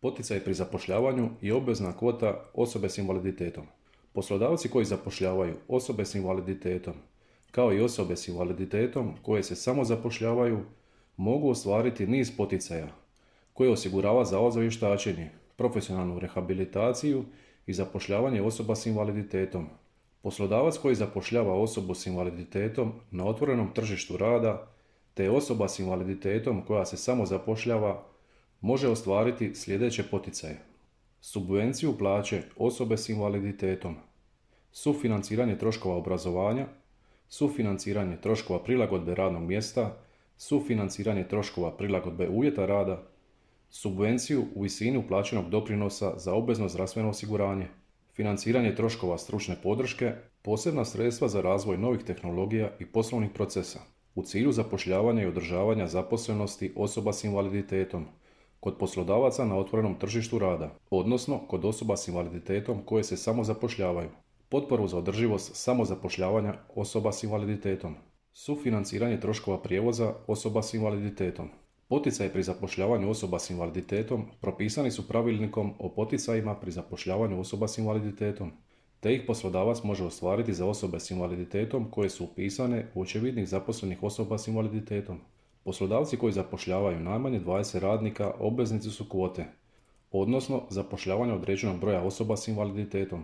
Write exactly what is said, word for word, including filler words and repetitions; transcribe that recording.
Poticaj pri zapošljavanju i obvezna kvota osobe s invaliditetom. Poslodavci koji zapošljavaju osobe s invaliditetom, kao i osobe s invaliditetom koje se samo zapošljavaju, mogu ostvariti niz poticaja koje osigurava Zavod za vještačenje, profesionalnu rehabilitaciju i zapošljavanje osoba s invaliditetom. Poslodavac koji zapošljava osobu s invaliditetom na otvorenom tržištu rada te osoba s invaliditetom koja se samo zapošljava može ostvariti sljedeće poticaje: subvenciju plaće osobe s invaliditetom, sufinanciranje troškova obrazovanja, sufinanciranje troškova prilagodbe radnog mjesta, sufinanciranje troškova prilagodbe uvjeta rada, subvenciju u visini uplaćenog doprinosa za obvezno zdravstveno osiguranje, financiranje troškova stručne podrške, posebna sredstva za razvoj novih tehnologija i poslovnih procesa u cilju zapošljavanja i održavanja zaposlenosti osoba s invaliditetom kod poslodavaca na otvorenom tržištu rada, odnosno kod osoba s invaliditetom koje se samo zapošljavaju, potporu za održivost samozapošljavanja osoba s invaliditetom, sufinanciranje troškova prijevoza osoba s invaliditetom. Poticaji pri zapošljavanju osoba s invaliditetom propisani su pravilnikom o poticajima pri zapošljavanju osoba s invaliditetom, te ih poslodavac može ostvariti za osobe s invaliditetom koje su upisane u očevidnik zaposlenih osoba s invaliditetom. Poslodavci koji zapošljavaju najmanje dvadeset radnika obveznici su kvote, odnosno zapošljavanja određenog broja osoba s invaliditetom.